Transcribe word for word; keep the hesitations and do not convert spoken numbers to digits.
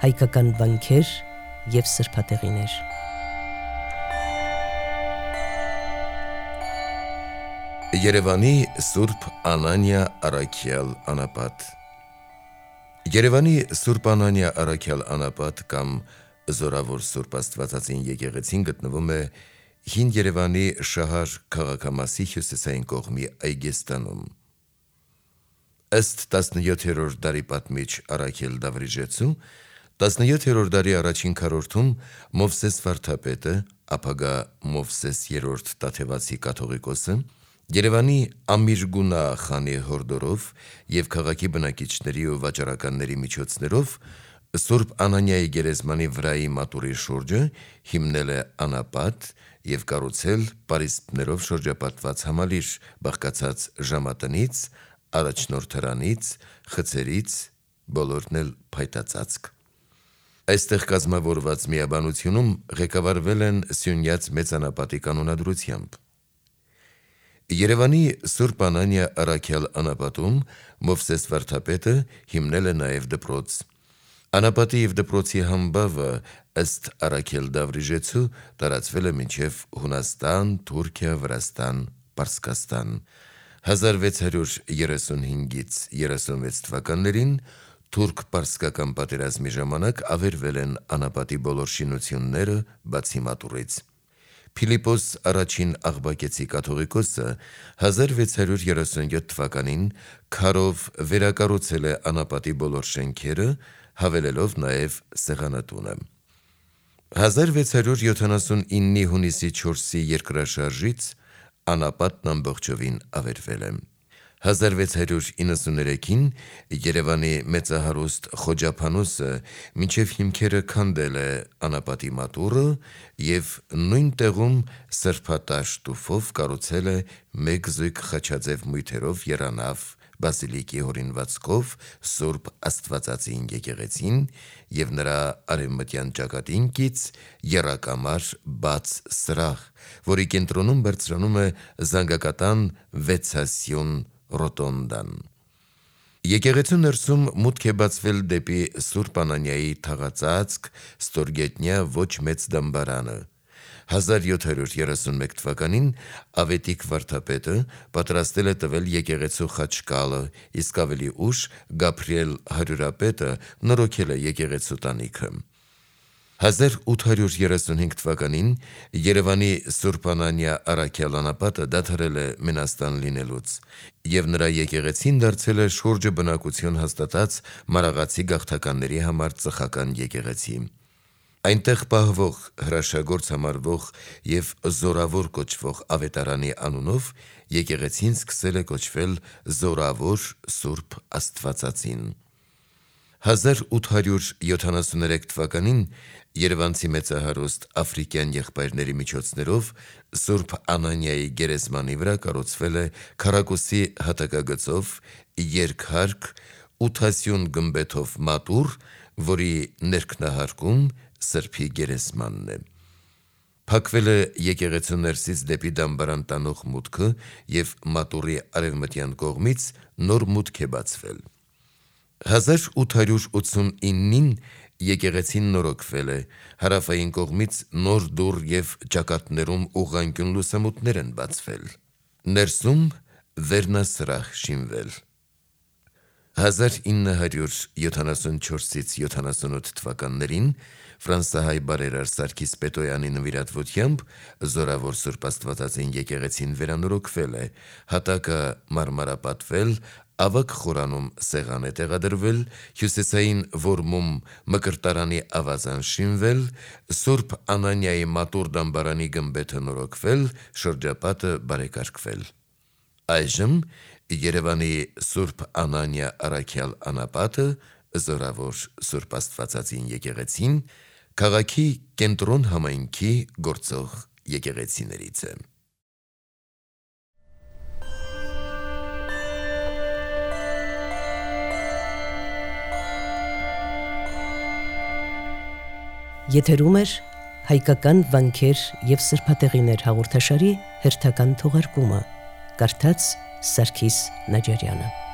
հայկական վանքեր և սրբատեղիներ։ Երևանի Սուրբ Անանիա Առաքյալ անապատ։ Երևանի Սուրբ Անանիա Առաքյալ անապատ կամ Զորավոր Սուրբ Աստվածածին եկեղեցին գտնվում է Հին Երևանի Շահար քաղաքամասի հյուսիսային կողմի Այգեստանում։ Ըստ տասնյոթերորդ դարի պատմիչ Առաքել Դավրիժեցու, տասնյոթերորդ դարի առաջին քառորդում Մովսես վարդապետը, ապագա Մովսես երրորդ Տաթևացի կաթողիկոսը, Երևանի Ամիրգունա խանի հորդորով և քաղաքի բնակիչների ու վաճառականների միջոցներով Սուրբ Անանիայի գերեզմանի վրայի մատուրի շուրջը հիմնել է անապատ և կառուցել պարիսպներով շրջապատված համալիր, բաղկացած ժամատնից, առաջնորդարանից, խցերից, բոլորն էլ փայտածածկ։ Այստեղ կազմավորված միաբանությունում ղեկավարվել են Սյունյաց մեծանապատի կանոնադրությամբ։ Երևանի Սուրբ Անանիա Առաքյալ անապատում Մովսես վարդապետը հիմնել է նաև դպրոց։ Անապատի և դպրոցի համբավը ըստ Առաքել Դավրիժեցու տարածվել է մինչև Հունաստան, Թուրքիա, Վրաստան, Պարսկաստան։ հազար վեց հարյուր երեսունհինգից երեսունվեց թվականներին թուրք-պարսկական պատերազմի ժամանակ ավերվել են անապատի բոլոր շինությունները, բացի մատուռից։ Փիլիպոս առաջին Աղբակեցի կաթողիկոսը հազար վեց հարյուր երեսունյոթ թվականին քարով վերակառուցել է անապատի բոլոր շենքերը, հավելելով նաև սեղանատունը։ հազար վեց հարյուր յոթանասունիննի հունիսի չորսի երկրաշարժից անապատն ամբողջովին ավերվել է։ հազար վեց հարյուր իննսուներեքին Երևանի մեծահարուստ Խոջափանոսը մինչև հիմքերը քանդել է անապատի մատուռը և նույն տեղում սրբատաշ տուֆով կառուցել է մեկ զույգ խաչաձև մույթերով եռանավ բազիլիկի հորինվածքով Սուրբ Աստվածածին եկեղեցին և նրա արևմտյան ճակատին կից եռակամար բաց սրահ, որի կենտրոնում բարձրանում է զանգակատան վեցասյուն ռոտոնդան։ Եկեղեցու ներսում մուտք է բացվել դեպի Սուրբ Անանիայի թաղածածկ ստորգետնյա ոչ մեծ դամբարանը։ հազար յոթ հարյուր երեսունմեկ թվականին Ավետիք վարդապետը պատրաստել է տվել եկեղեցու խաչկալը, իսկ ավելի ուշ Գաբրիել հարյուրապետը նորոգել է եկեղեցու տանիքը։ հազար ութ հարյուր երեսունհինգ թվականին Երևանի Սուրբ Անանիա Առաքյալ անապատը դադարել է մենաստան լինելուց, և նրա եկեղեցին դարձել է շուրջը բնակություն հաստատած մարաղացի գաղթականների համար ծխական եկեղեցի։ Այնտեղ պահվող, հրաշագործ համարվող և Զորավոր կոչվող ավետարանի անունով եկեղեցին սկսել է կոչվել Զորավոր Սուրբ Աստվածածին։ հազար ութ հարյուր յոթանասուներեք թվականին երևանցի մեծահարուստ աֆրիկյան եղբայրների միջոցներով Սուրբ Անանիայի գերեզմանի վրա կառուցվել է քառակուսի հատակագծով երկհարկ ութասյուն գմբեթով մատուռ, որի ներքնահարկում Սրբի գերեզմանն է։ Փակվել է եկեղեցու ներսից դեպի դամբարան տանող մուտքը և մատուռի արևմտյան կողմից նոր մուտք է բացվել։ հազար ութ հարյուր ութսունիննին եկեղեցին նորոգվել է, հարավային կողմից նոր դուռ և ճակատներում ուղղանկյուն լուսամուտներ են բացվել։ Ներսում վերնասրահ շինվել։ հազար ինը հարյուր յոթանասունչորսից յոթանասունութ թվականներին ֆրանսահայ բարերար Սարգիս Պետոյանի նվիրատվությամբ Զորավոր Սուրբ Աստվածածին եկեղեցին վերանորոգվել է, հատակը մարմարապատվել, ավագ խորանում սեղան է տեղադրվել, հյուսիսային որմում մկրտարանի ավազան շինվել, Սուրբ Անանիայի մատուռ դամբարանի գմբեթը նորոգվել, շրջապատը բարեկարգվել։ Այժմ Երևանի Սուրբ Անանիա Առաքյալ անապատը Զորավոր Սուրբ Աստվածածին եկեղեցին քաղաքի կենտրոն համայնքի գործող եկեղեցիներից է։ Եթերում էր հայկական վանքեր և սրբատեղիներ հաղորդաշարի հերթական թողարկումը, կարդաց Սարգիս Նաջարյանը։